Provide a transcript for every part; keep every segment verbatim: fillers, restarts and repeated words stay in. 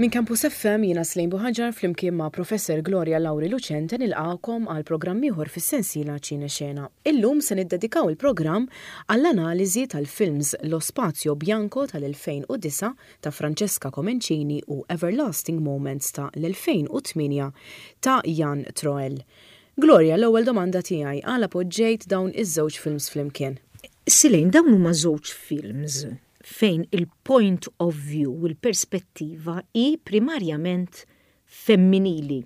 Minn Campus F M jiena Slejn Buħaġar flimkien ma' Professor Gloria Lauri Lucente nilqakom għal programm ieħor fis-sensiela Ċine Xena. Illum se niddedikaw il-programm għall-analiżi tal-films Lo Spazio Bianco tal-elfejn u disgħa ta' Francesca Comencini u Everlasting Moments ta' l-elfejn u tmienja ta' Jan Troell. Gloria, l-ewwel domanda tiegħi: għala poġġejt dawn iż-żewġ films flimkien? Silejn, dawn huma żewġ films fejn il-point of view, il-perspettiva hi primarjament femminili.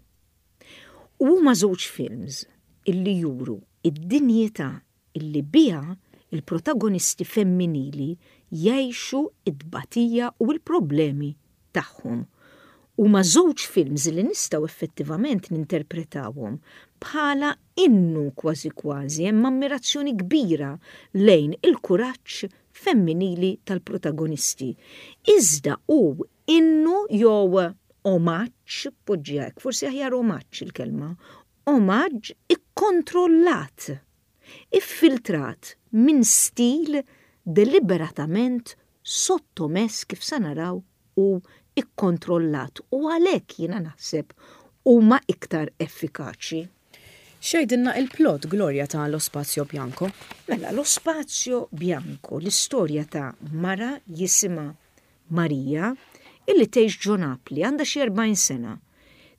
U huma żewġ films illi juru id-dinjità illi biha il-protagonisti femminili jgħixu id-batija u l-problemi tagħhom. Huma żewġ films li nistgħu effettivament ninterpretawhom bħala innu, kważi kważi hemm ammirazzjoni kbira lejn il-kuraġġ femminili tal-protagonisti. Iżda hu innu jew omaġġ, poġġi hekk, forsi aħjar omaġġ il-kelma, omaġġ ikkontrollat, iffiltrat minn stil deliberatament sottomess, kif sa naraw, u ikkontrollat, u għalhekk jiena naħseb huma iktar effikaċi. X'jgħidilna il-plot, Gloria, ta' Lo Spazio Bianco? Mela, Lo Spazio Bianco, l-istorja ta' mara jisimha Marija illi tgħix ġo Napli, għandha xi erbgħin sena.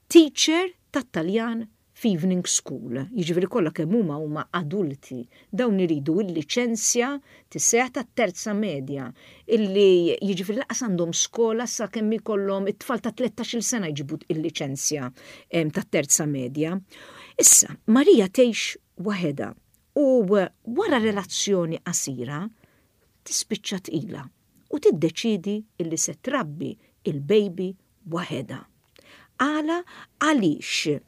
Teacher tat-Taljan f'evening school, jiġifieri kollha kemm huma huma adulti. Dawn iridu il-liċenzja tisseħ tat-terza medja, illi jiġifieri lanqas għandhom skola sa kemm ikollhom it-tfal ta' tlettax-il sena jġibu il-liċenzja tat-terza medja. Issa, Marija tgħix waħedha u wara relazzjoni qasira tispiċċa tqila u tiddeċidi illi se trabbi il-baby waħedha. Għala? Għaliex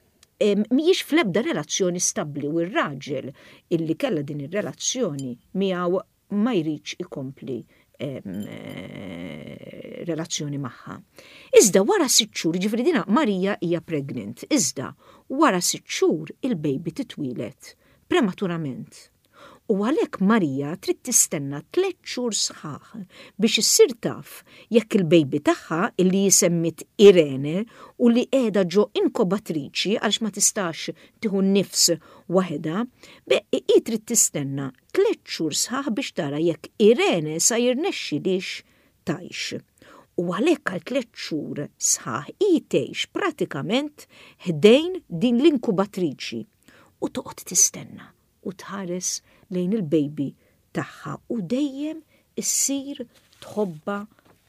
mhijiex fl-ebda relazzjoni stabli u r-raġel illi kella din ir-relazzjoni miegħu ma jridx ikompli eh, relazzjoni magħha. Iżda wara sitt xhur, ġifieri dina Marija hija pregnant, iżda wara sitt xhur il-baby titwieled prematurament. U għalhekk Marija trid tistenna tliet xhur sħaħ biex issir taf jekk il-baby tagħha, illi ssemmiet Irene u li qiegħda ġo inkubatriċi għaliex ma tistax tieħu nifs waħedha, hi trid tistenna tliet xhur sħaħ biex tara jekk Irene sa jirnexxilix tgħix. U għalhekk għal tliet xhur sħaħ hi tgħix pratikament ħdejn din l-inkubatriċi u toqgħod tistenna u tħares lejn il-baby tagħha u dejjem issir tħobba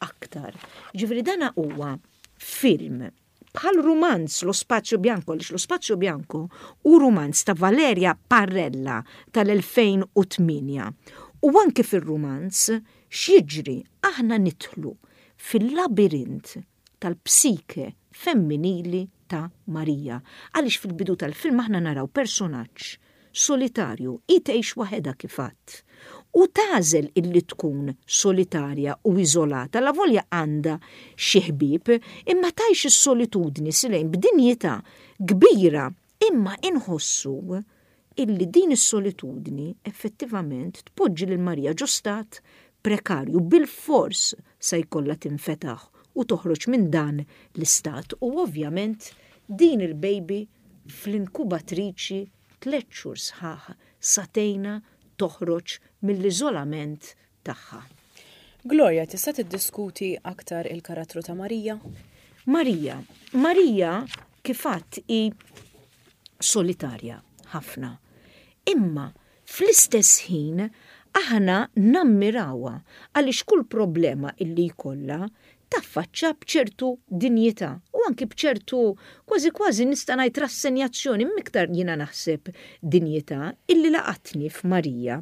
aktar. Ġifieri dana huwa film bħal rumanz Lo Spazio Bianco, għaliex Lo Spazio Bianco hu rumanz ta' Valeria Parrella tal-elfejn u tmienja. U anke fil-rumanz x'jiġri, aħna nidħlu fil-labirint tal-psike femminili ta' Marija. Għaliex fil-bidu tal-film aħna naraw personaġġ solitarju, hi tgħix waħedha kif għedt. U tagħżel illi tkun solitarja u iżolata, la volja għandha xi ħbieb, imma tgħix is-solitudni silejn b'dinjità kbira, imma inħossu illi din is-solitudni effettivament tpoġġi lil Marija ġo stat prekarju, bil-fors sa jkollha tinfetaħ u toħroġ minn dan l-istat, u ovvjament din il-baby fl-inkubatriċi tliet xhur sħaħ sa tgħinha toħroġ mill-iżolament tagħha. Gloria, tista' tiddiskuti aktar il-karattru ta' Marija? Marija, Marija kif għedt hi solitarja ħafna. Imma fl-istess ħin aħna nammirawha għaliex kull problema illi jkollha taffaċċa bċertu dinjità u anki bċertu, kważi kważi nista' ngħid, rassenjazzjoni, miktar jiena naħseb dinjità illi laqatni f'Marija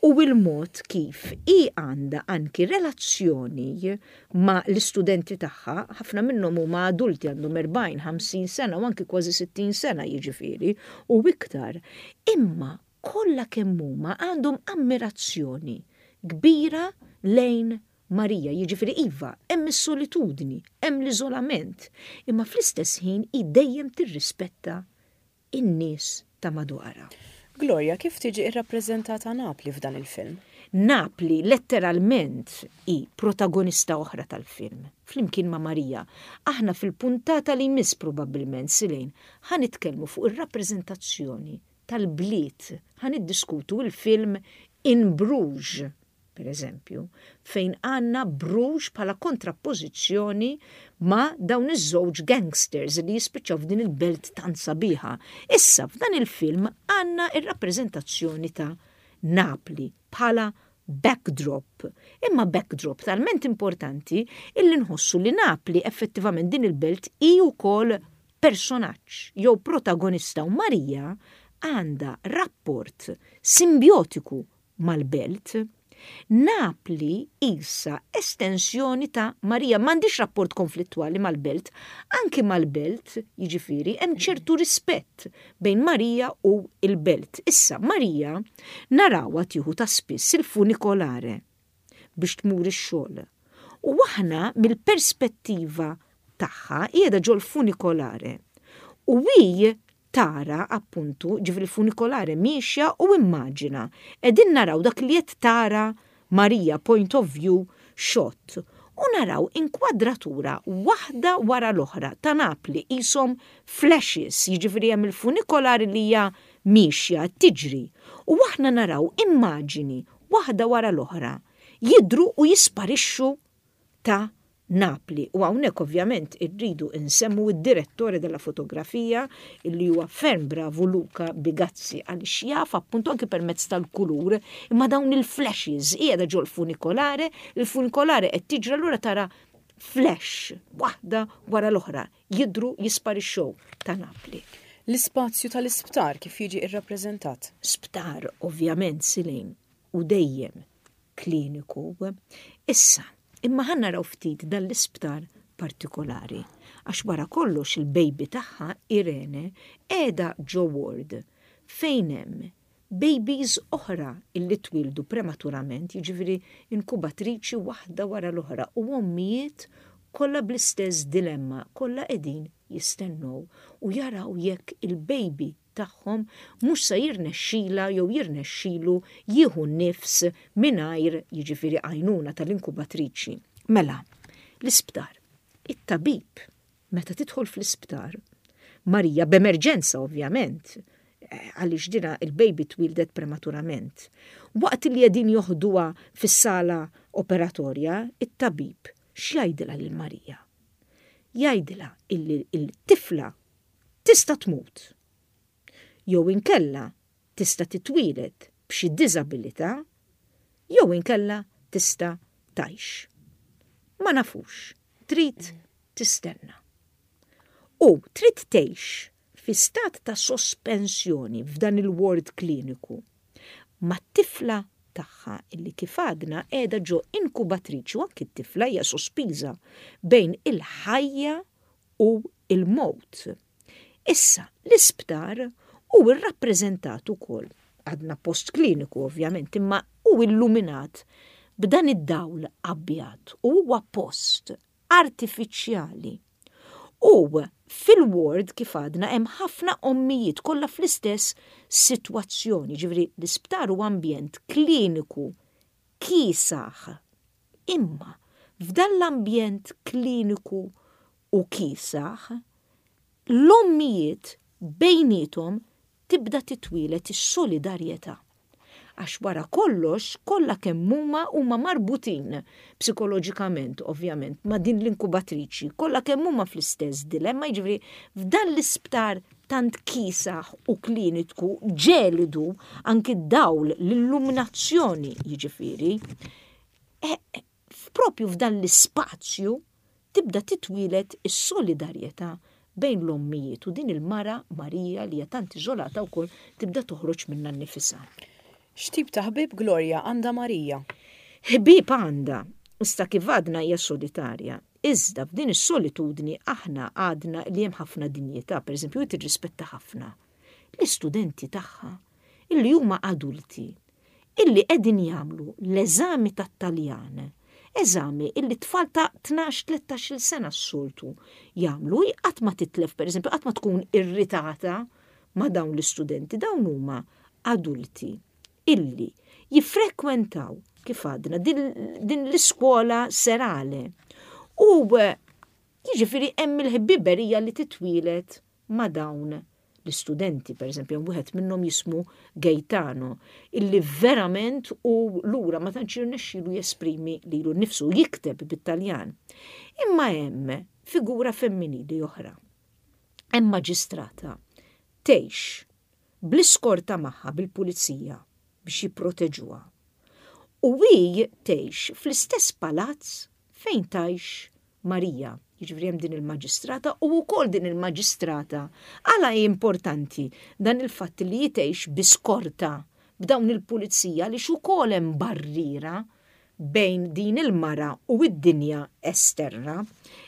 u il-mod kif hi għandha anki relazzjoni ma' l-istudenti tagħha, ħafna minnhom huma adulti, għandhom erbgħin, ħamsin sena u anki kważi sittin sena jiġifieri u iktar. Imma kollha kemm huma għandhom ammirazzjoni kbira lejn Marija, jiġifieri iva, hemm is-solitudni, hemm l-iżolament, imma fl-istess ħin hi dejjem tirrispetta in-nies ta' madwarha. Gloria, kif tiġi irrappreżentata Napli f'dan il-film? Napli letteralment hi protagonista oħra tal-film, flimkien ma' Marija. Aħna fil-puntata li jmiss probabbilment, Silejn, ħa nitkellmu fuq ir-rappreżentazzjoni tal-bliet, ħa niddiskutu il-film In Bruges, per eżempju, fejn għandna Bruges bħala kontrappożizzjoni ma' dawn iż-żewġ gangsters li jispiċċaw f'din il-belt tant sabiħa. Issa f'dan il-film għandna ir-rappreżentazzjoni ta' Napli bħala backdrop. Imma backdrop talment importanti illi nħossu li Napli effettivament, din il-belt, hi wkoll personaġġ jew protagonista u Marija għandha rapport simbiotiku mal-belt. Napli issa estensjoni ta' Marija, m'għandix rapport konflittwali mal-belt, anki mal-belt, jiġifieri, hemm ċertu rispett bejn Marija u il-belt. Issa, Marija narawha tieħu ta' spiss il-funicolare biex tmur ix-xogħol. U aħna mill-perspettiva tagħha qiegħda ġol funicolare. U hi tara appuntu, ġifieri funicolare miexja u immaġina. Qegħdin naraw dak li qed tara Marija, point of view shot. U naraw inkwadratura waħda wara l-oħra ta' Napli qishom flashes, jiġifieri hemm il-funicolare li hija miexja tiġri. U aħna naraw immaġini waħda wara l-oħra jidru u jisparixxu ta' Napli. U hawnhekk ovvjament irridu insemmu id-direttore della fotografia, illi huwa ferm bravu, Luca Bigazzi, għaliex jaf appuntu anke permezz tal-kulur imma dawn il-flashes. Qiegħda ġol funicolare, il-funicolare qed tiġra, allura tara flash waħda wara l-oħra jidru, jisparixxew ta' Napli. L-ispazju tal-isptar kif jiġi irrappreżentat? Sptar ovvjament, Silejn, u dejjem kliniku. Issa, imma ħa naraw ftit dan l-isptar partikolari. Għax wara kollox il-baby tagħha, Irene, qiegħda ġo ward fejn hemm babies oħra illi twildu prematurament, jiġifieri inkubatriċi waħda wara l-oħra u ommijiet kollha bl-istess dilemma, kollha qegħdin jistennew u jaraw jekk il-baby tagħhom mhux se jirnexxila jew jirnexxilu jieħu nifs mingħajr, jiġifieri, għajnuna tal-inkubatriċi. Mela, l-isptar, it-tabib, meta tidħol fl-isptar, Marija b'emerġenza ovvjament, eh, għaliex dina il-baby twildet prematurament. Waqt li qegħdin joħduha fis-sala operatorja, it-tabib x'jgħidilha lil Marija? Jgħidilha illi il-tifla tista' tmut. Jew inkella tista' titwieled b'xi diżabilità, jew inkella tista' tgħix. Ma nafux, trid tistenna. U trid tgħix fi stat ta' sospensjoni f'dan il-ward kliniku ma' tifla tagħha illi kif għadna qiegħda ġo inkubatriċi u anki t-tifla hija sospiża bejn il-ħajja u il-mowt. Issa, l-isptar hu rrappreżentat ukoll, għadna post kliniku ovvjament, imma hu illuminat b'dan id-dawl abjad u huwa post artifiċjali. U fil-ward, kif għadna, hemm ħafna ommijiet kollha fl-istess sitwazzjoni, ġifieri l-isptar huwa ambjent kliniku kiesaħ. Imma f'dan l-ambjent kliniku u kiesaħ, l-ommijiet bejnietom tibda titwieled is-solidarjetà. Għax wara kollox, kollha kemm huma huma marbutin psikoloġikament, ovvjament, ma' din l-inkubatriċi, kollha kemm huma fl-istess dilemma, jiġifieri f'dan l-isptar tant kiesaħ u kliniku ġelidu, anki d-dawl, l-illuminazzjoni, jiġifieri, e, e, propju f'dan l-ispazju tibda titwieled is-solidarjetà bejn l-ommijiet u din il-mara Marija li hija tant iżolata wkoll tibda toħroġ minnha nnifisha. X'tip ta' ħbieb, Gloria, għandha Marija? Ħbieb għandha, issa kif għadna hija solitarja. Iżda f'din is-solitudni aħna għadna li hemm ħafna dinjità, pereżempju, hi tirrispetta ħafna l-istudenti tagħha illi huma adulti, illi qegħdin jagħmlu l-eżami tat-Taljan, eżami illi tfal ta' tnax tlettax-il sena s-soltu jagħmlu, hi qatt ma titlef, pereżempju, qatt ma tkun irritata ma' dawn l-istudenti, dawn huma adulti illi Jiffrekwentaw, kif għadna, din, din l-iskola serale. U jiġifieri hemm il-ħbiberija li titwieled ma' dawn l-istudenti, per eżempju, wieħed minnhom jismu Gaetano, illi verament u lura ma tantx jirnexxielu jesprimi lilu nnifsu, jikteb bit-Taljan. Imma hemm figura femminili oħra. Hemm maġistrata tgħix bl-iskorta magħha bil-pulizija biex jipproteġuha. U hi tgħix fl-istess palazz fejn tgħix Marija. Jiġifieri hemm din il-maġistrata u wkoll din il-maġistrata. Għala hi importanti dan il-fatt li tgħix bi skorta b'dawn il-pulizija li ukoll hemm barriera bejn din il-mara u id-dinja esterna.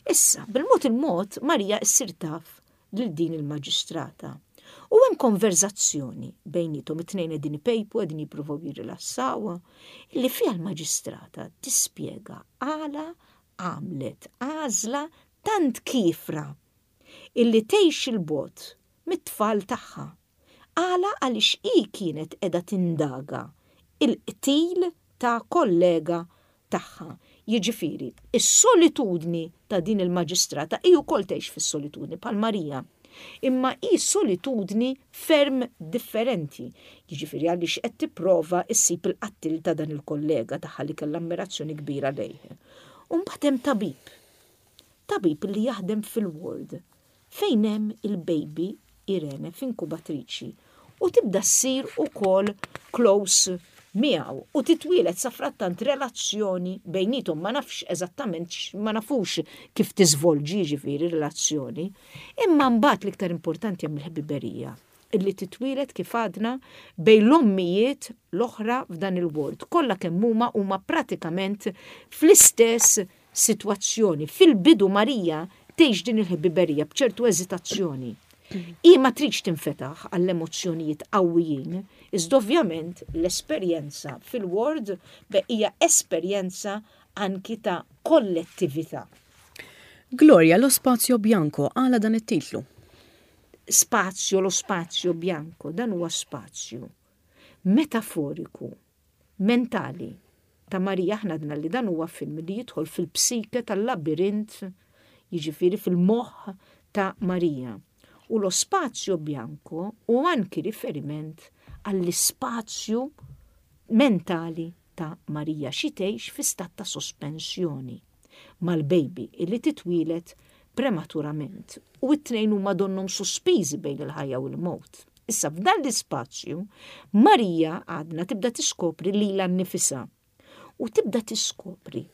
Issa, bil-mod il-mod, Marija issir taf lil din il-maġistrata. U hemm konverzazzjoni bejniethom, it-tnejn qegħdin ipejpu, qegħdin jippruvaw jirrilassaw, li fiha l-maġistrata tispjega għala għamlet għażla tant kiefra illi tgħix il-bogħod mit-tfal tagħha. Għala għaliex hi kienet qiegħda tindaga il-qtil ta' kollega tagħha. Jiġifieri, is-solitudni ta' din il-maġistrata, hi wkoll tgħix fis-solitudni bħal Marija. Imma hi solitudni ferm differenti. Jiġifieri għaliex qed tipprova issib il-qattil ta' dan il-kollega tagħha li kellha ammirazzjoni kbira lejh. U mbagħad hemm tabib. Tabib li jaħdem fil-ward fejn hemm il-baby Irene f'inkubatriċi u tibda ssir ukoll close miegħu u titwielet safrattant relazzjoni bejniethom, ma nafx eżattament, ma nafux kif tiżvolġi ġifieri relazzjoni, imma mbagħad l-iktar importanti hemm il-ħbiberija illi titwielet, kif għadna, bejn l-ommijiet l-oħra f'dan il-ward. Kollha kemm huma huma pratikament fl-istess sitwazzjoni. Fil-bidu Marija tgħix din il-ħbiberija b'ċertu eżitazzjoni. Hi ma tridx tinfetaħ għall-emozzjonijiet qawwijin, iżda ovvjament l-esperjenza fil-ward hija esperjenza anki ta' kollettività. Gloria, Lo Spazio Bianco, għala dan it-titlu? Spazio, lo spazio bianco, dan huwa spazju metaforiku, mentali ta' Marija. Aħna għedna li dan huwa film li jidħol fil-psike tal-labirint, jiġifieri fil-moħħ ta' Marija. U lo spazio bianco u anki riferiment għall-ispazju mentali ta' Marija xi tgħix fi stat ta' sospensjoni mal-baby illi titwielet prematurament u it-tnejn huma donnhom sospiżi bejn il-ħajja u l-mewt. Issa f'dan l-ispazju Marija għadna tibda tiskopri lilha nnifisha u tibda tiskopri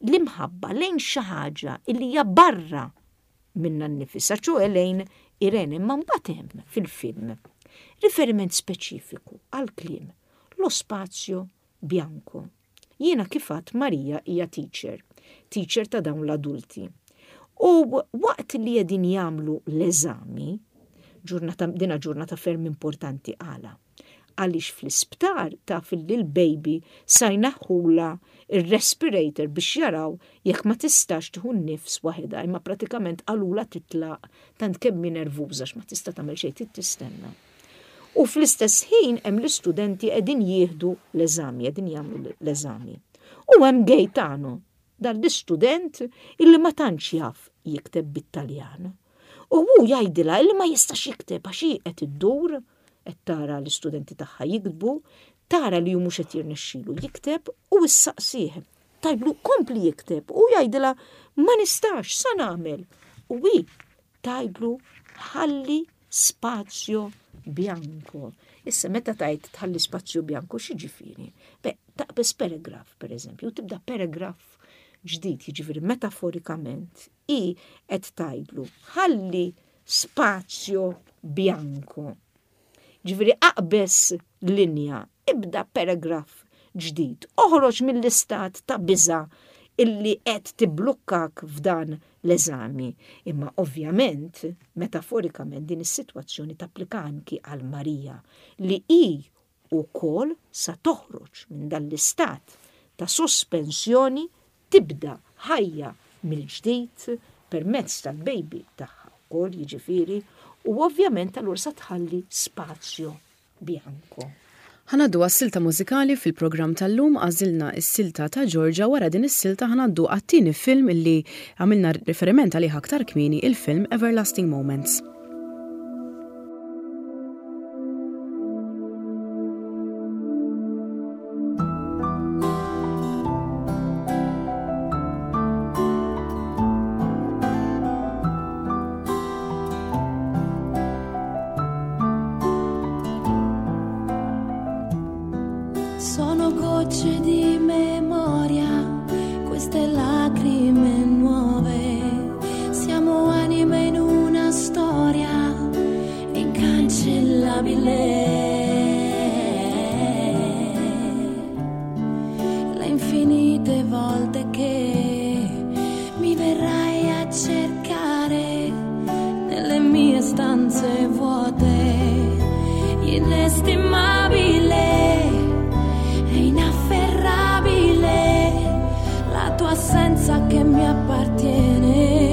l-imħabba lejn xi ħaġa illi hija barra minnha nnifisha, ċoè lejn Irene. Imma mbagħad hemm fil-film riferiment speċifiku għal kliem lo spazio bianco. Jiena kif għedt, Marija hija teacher, teacher ta' dawn l-adulti. U waqt li qegħdin jagħmlu l-eżami, ġurnata, dina ġurnata ferm importanti, għala? Għaliex fl-isptar taf li l-baby sa jneħħulha il-respirator biex jaraw jekk ma tistax tieħu nifs waħedha, imma pratikament qalulha titlaq tant kemm hi nervuża ma tista' tagħmel xejn, trid tistenna. U fl-istess ħin hemm l-istudenti qegħdin jieħdu l-eżami, qegħdin jagħmlu l-eżami. U hemm Gaetano, dan l-istudent illi ma tantx jaf jikteb bit-Taljan. U hu jgħidilha illi ma jistax jikteb għax hi qed iddur, qed tara l-istudenti tagħha jiktbu, tara li hu mhux qed jirnexxilu jikteb u issaqsih. Tgħidlu kompli jikteb u jgħidilha ma nistax, sa nagħmel. U hi tgħidlu ħalli spazio bianco. Issa meta tgħid tħalli spazio bianco, x'jiġifieri? Be, taqbeż paragraf, per eżempju, u tibda paragraf ġdid, jiġifieri metaforikament hi qed tgħidlu ħalli spazio bianco. Ġifieri aqbeż linja, ibda paragraf ġdid, oħroġ mill-istat ta' biża illi qed tiblukkak f'dan l-eżami. Imma ovvjament, metaforikament din is-sitwazzjoni tapplika anki għal Marija li hi wkoll sa toħroġ minn dan l-istat ta' sospensjoni, tibda ħajja mill-ġdid permezz tal-baby tagħha wkoll, jiġifieri, u ovvjament allura sa tħalli spazio bianco. Ħa ngħaddu għas-silta mużikali fil-programm tal-lum. Għażilna s-silta ta' Georgia. Wara din is-silta ħa ngħaddu għat-tieni film illi għamilna riferiment għalih aktar kmieni, il-film Everlasting Moments. Sono gocce di memoria, queste lacrime nuove. Siamo anime in una storia incancellabile. Le infinite volte che mi verrai a cercare nelle mie stanze vuote, inestimabile, inafferrabile, la tua assenza che mi appartiene.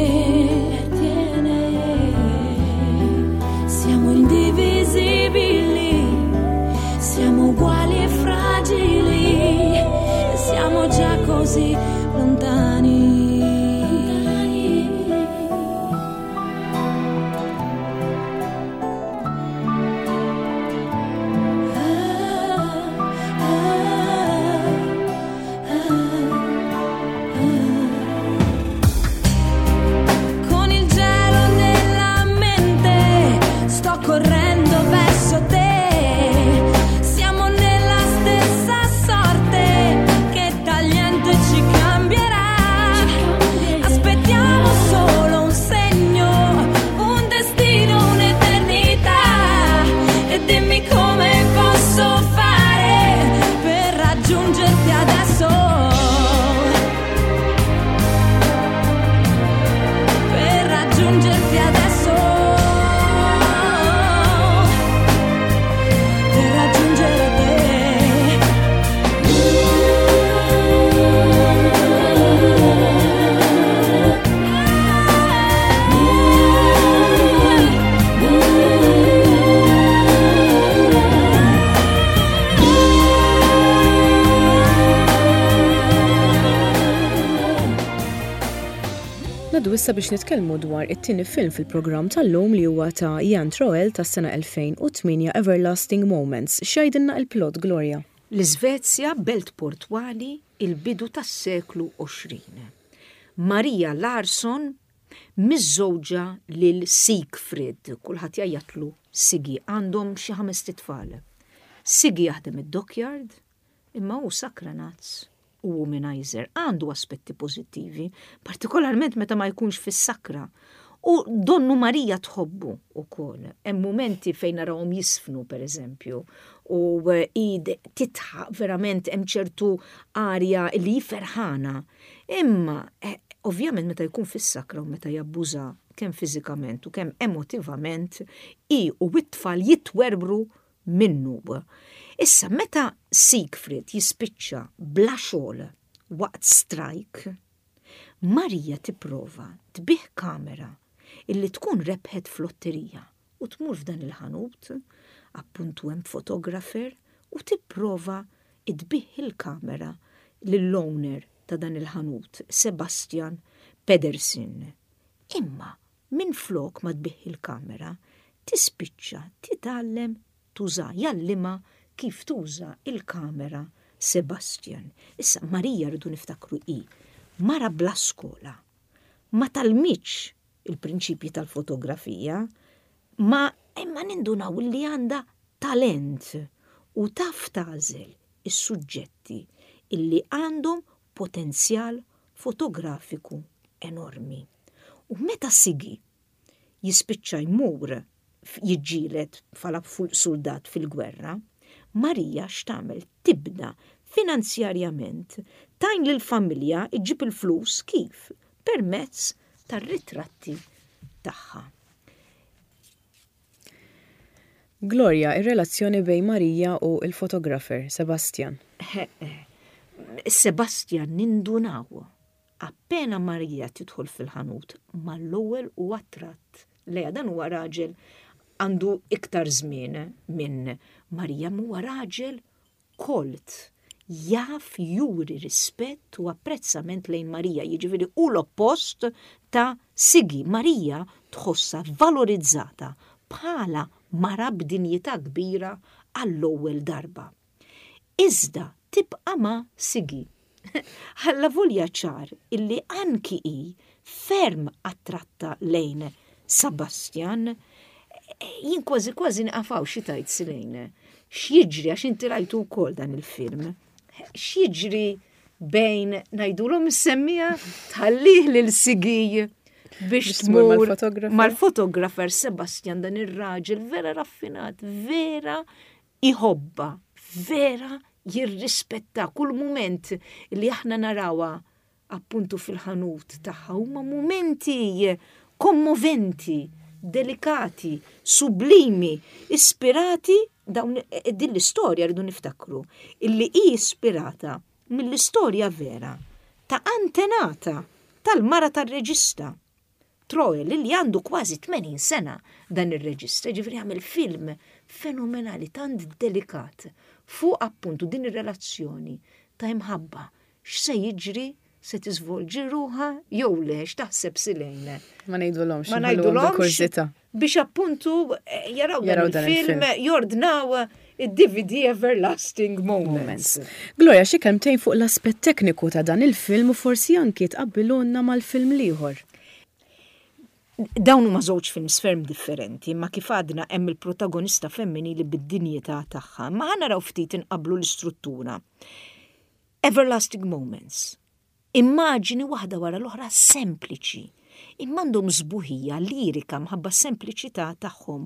Siamo indivisibili, siamo uguali e fragili, siamo già così lontani. Con il gelo nella mente sto correndo verso te. Siamo nella stessa sorte che tagliente ci cambierà. Aspettiamo solo un segno, un destino, un'eternità. E dimmi come posso fare per raggiungerti adesso. Per raggiungerti adesso, per raggiungere te. Ngħaddu issa biex nitkellmu dwar it-tieni film fil-programm tal-lum li huwa ta' Jan Troell tas-sena elfejn u tmienja, Everlasting Moments. X'jgħidilna il-plot, Gloria? L-Iżvezja, belt portwali, il-bidu tas-seklu għoxrin. Maria Larsson miżżewġa lil Siegfried, kulħadd jgħajjatlu Sigi, għandhom xi ħames tfal. Sigi jaħdem id-dockyard, imma hu sakranazz u womanizer, għandu aspetti pożittivi, partikolarment meta ma jkunx fis-sakra. U donnu Marija tħobbu ukoll. Hemm momenti fejn narawhom jisfnu, per eżempju, u eh, id titħaq verament, hemm ċertu arja li ferħana. Imma eh, ovvjament meta jkun fis-sakra u meta jabbuża kemm fiżikament u kemm emotivament, i u it-tfal jitwerbru minnu. Issa, meta Siegfried jispiċċa bla xogħol waqt strajk, Marija tipprova tbigħ kamera illi tkun rebħet flotterija u tmur f'dan il-ħanut, appuntu hemm fotografer, u tipprova tbigħ il-kamera lill-owner ta' dan il-ħanut, Sebastian Pedersen. Imma minn flok ma tbigħ il-kamera, tispiċċa titgħallem tuża, jgħallimha kif tuża il-kamera Sebastian. Issa Marija, rridu niftakru, i mara bla skola, ma tgħallmitx il-prinċipji tal-fotografija, ma imma nindunaw li għandha talent u taf tagħżel is-suġġetti illi għandhom potenzjal fotografiku enormi. U meta Sigi jispiċċa jmur jiġġieled bħala soldat fil-gwerra, Marija x'tagħmel? Tibda finanzjarjament tgħin lill-familja iġġib il-flus. Kif? Permezz tar-ritratti tagħha. Gloria, ir-relazzjoni bejn Marija u il-fotografer Sebastian. Sebastian nindunaw appena Marija tidħol fil-ħanut, mal-ewwel u attratt. Leja dan huwa raġel Għandu iktar żmien minn Marija, huwa raġel kolt, jaf juri rispett u apprezzament lejn Marija, jiġifieri u l-oppost ta' Sigi. Marija tħossha valorizzata bħala mara b'dinjità kbira għall-ewwel darba. Iżda tibqa' ma' Sigi. Avolja ċar illi anki hi ferm attratta lejn Sebastian, jien kważi kważi nqafaw xi tajt silejn. X'jiġri, għax inti rajtu wkoll dan il-film? X'jiġri bejn, ngħidulhom is-semmiegħa, tħallih lil Sigi biex tmur mal-fotografer Sebastian, dan ir-raġel vera raffinat, vera iħobba, vera jirrispetta? Kull moment li aħna narawha appuntu fil-ħanut tagħha huma momenti kommoventi, delikati, sublimi, ispirati dawn din l-istorja. Rridu niftakru illi hi ispirata mill-istorja vera ta' antenata tal-mara tal-reġista. Troel, li għandu kważi tmenin sena dan ir-reġista, ġifieri għamel film fenomenali, tant delikat fuq appuntu din ir-relazzjoni ta' imħabba. X'se jiġri? Se tiżvolġi ruħha jew le? X'taħseb, Silejne? Ma ngħidulhomx. Ma ngħidulhomx biex appuntu eh, jaraw dan il-film, jordnaw id-D V D Everlasting Moments. Gloria, xi kelmtejn fuq l-aspett tekniku ta' dan il-film u forsi anki tqabbilunna mal-film l-ieħor. Dawn huma żewġ films ferm differenti, ma kif għadna hemm il-protagonista femminili bid-dinjità tagħha, ma ħa naraw ftit inqablu l-istruttura. Everlasting Moments. Immaġini waħda wara l-oħra sempliċi, imma għandhom sbuħija lirika mħabba sempliċità tagħhom.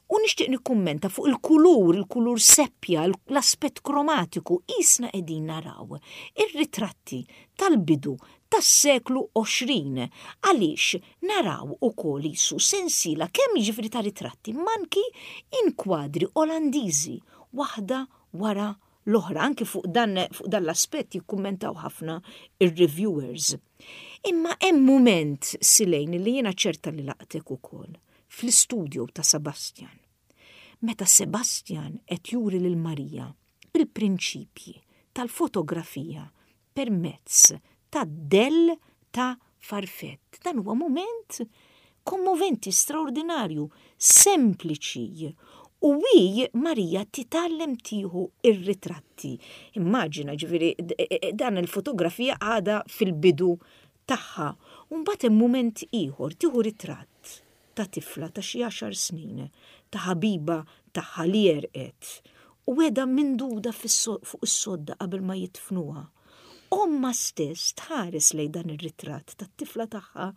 U nixtieq nikkummenta fuq il-kulur, il-kulur seppja, l-aspett kromatiku, qisna qegħdin naraw ir-ritratti tal-bidu tas-seklu għoxrin, għaliex naraw ukoll qisu sensiela kemm jiġifieri ta' ritratti, manki inkwadri Olandiżi waħda wara l-oħra. Anki fuq dan, fuq dan l-aspett jikkummentaw ħafna ir-reviewers. Imma hemm mument, Silejn, li jiena ċerta li laqtek ukoll fl-istudio ta' Sebastian. Meta Sebastian qed juri lil Marija il-prinċipji tal-fotografija permezz ta' dell ta' farfett. Dan huwa moment kommoventi, straordinarju, sempliċi. U hi Marija titgħallem tieħu ir-ritratti. Immaġina, ġifieri, dan il-fotografija għada fil-bidu tagħha. U mbagħad hemm moment ieħor, tieħu ritratt ta' tifla ta' xi għaxar snin, ta' ħabiba tagħha li għerqet u qiegħda minduda fuq is-sodda qabel ma jidfnuha. Omma stess tħares lejn dan ir-ritratt tat-tifla tagħha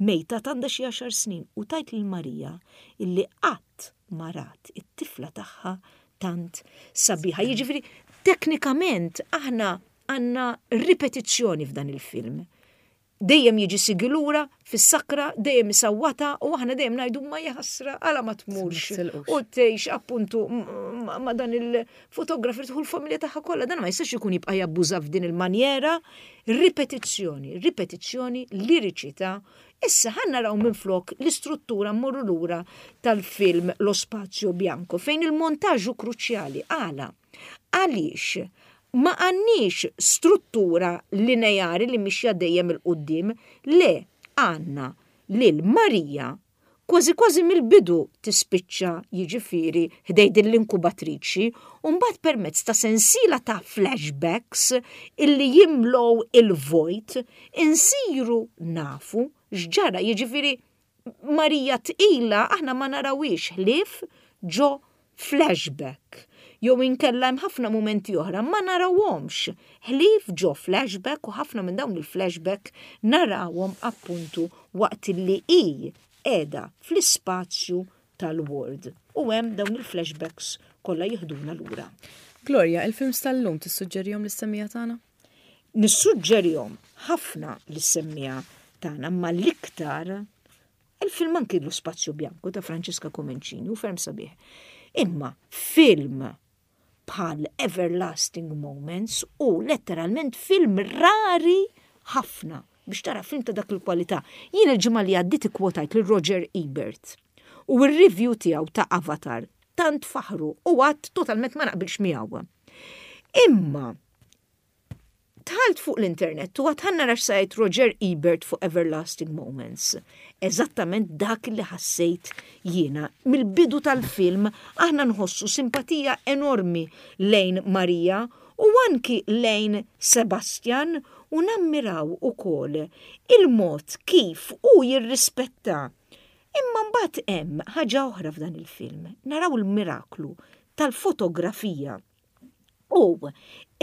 mejta għandha xi għaxar snin u tgħid lil Marija illi qatt ma rat it-tifla tagħha tant sabiħa. Jiġifieri teknikament aħna għandna ripetizzjoni f'dan il-film. Dejjem jiġi Sigi lura fis-sakra, dejjem isawwata u aħna dejjem ngħidu ma jaħasra għala ma tmurx. U tgħix appuntu ma dan il-fotografer, tieħu l-familja tagħha kollha, dan ma jistax ikun jibqa' jabbuża f'din il-manjera. Ripetizzjoni, ripetizzjoni, liriċità. Issa ħa naraw minn flok l-istruttura, mmorru lura tal-film Lo Spazio Bianco, fejn il-montaġġu kruċjali. Għala? Għaliex ma għandniex struttura lineari li mixja dejjem 'il quddiem, le, għandna lil Marija kważi kważi mill-bidu tispiċċa jiġifieri ħdejn din l-inkubatriċi u mbagħad permezz ta' sensiela ta' flashbacks illi jimlow il-vojt insiru nafu x'ġara. Jiġifieri Marija tqila aħna ma narawix ħlief ġo flashback. Jew inkella hemm ħafna mumenti oħra ma narawhomx ħlief ġo flashback u ħafna minn dawn il-flashback narawhom appuntu waqt li hi qiegħda fl-ispazju tal-ward. U hemm dawn il-flashbacks kollha jiħduna lura. Gloria, il-films tal-lum tissuġġerihom lis-semmiegħa tagħna? Nissuġġerihom ħafna lis-semmiegħa tagħna, ma l-iktar il-film anki Lo Spazio Bianco ta' Francesca Comencini u ferm sabiħ. Imma film bħal Everlasting Moments u letteralment film rari ħafna biex tara film ta' dak il-kwalità. Jien il-ġimgħa li għaddiet ikkwotajt lil Roger Ebert. U r-review tiegħu ta' Avatar tant faħru u għad totalment ma naqbilx miegħu. Imma dħalt fuq l-internet u għedt ħa nara x'se jgħid Roger Ebert fuq Everlasting Moments. Eżattament dak li ħassejt jiena. Mill-bidu tal-film aħna nħossu simpatija enormi lejn Maria u anki lejn Sebastian u nammiraw ukoll il-mod kif u jirrispetta. Imma mbagħad hemm ħaġa oħra f'dan il-film. Naraw il-miraklu tal-fotografija. U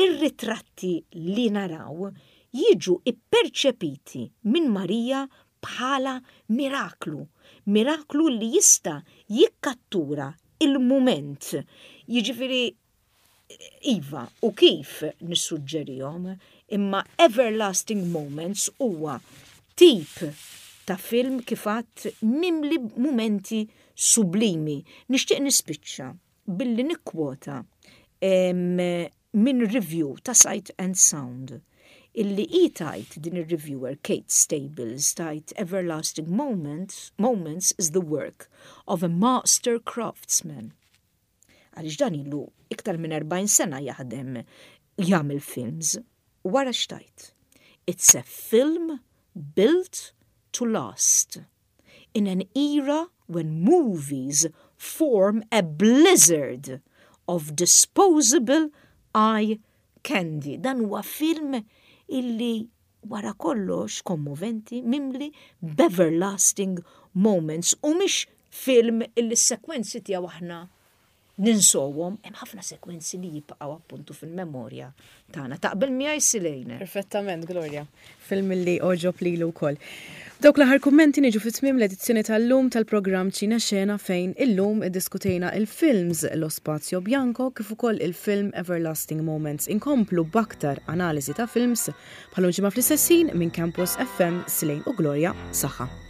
ir-ritratti li naraw jiġu ipperċepiti minn Marija bħala miraklu. Miraklu li jista' jikkattura il-moment. Jiġifieri iva, u kif nissuġġerihom, imma Everlasting Moments huwa tip ta' film kif għedt mimli momenti sublimi. Nixtieq nispiċċa billi nikkwota minn review ta' Sight and Sound illi i tgħid din il-reviewer Kate Stables tgħid Everlasting Moments, Moments is the work of a master craftsman. Għaliex dan ilu iktar minn erbgħin sena jaħdem jagħmel films. Wara x'tgħid? "It's a film built to last. In an era when movies form a blizzard of disposable eye candy." Dan huwa film illi wara kollox kommoventi, mimli b'everlasting moments u mhix film illi s-sekwenzi tiegħu aħna ninsowhom, hemm ħafna sekwenzi li jibqgħu appuntu fil-memorja tagħna. Taqbel miegħi, Silejne? Perfettament, Gloria. Film li għoġob lili wkoll. Dawk l-aħħar kummenti niġu fi tmiem l-edizzjoni tal-lum tal-programm Ċina Xena, fejn illum iddiskutejna il-films Lo Spazio Bianco kif ukoll il-film Everlasting Moments. Inkomplu b'aktar analiżi ta' films bħal ġimgħa fl-istess ħin minn Campus F M. Silejn u Gloria, saħħa.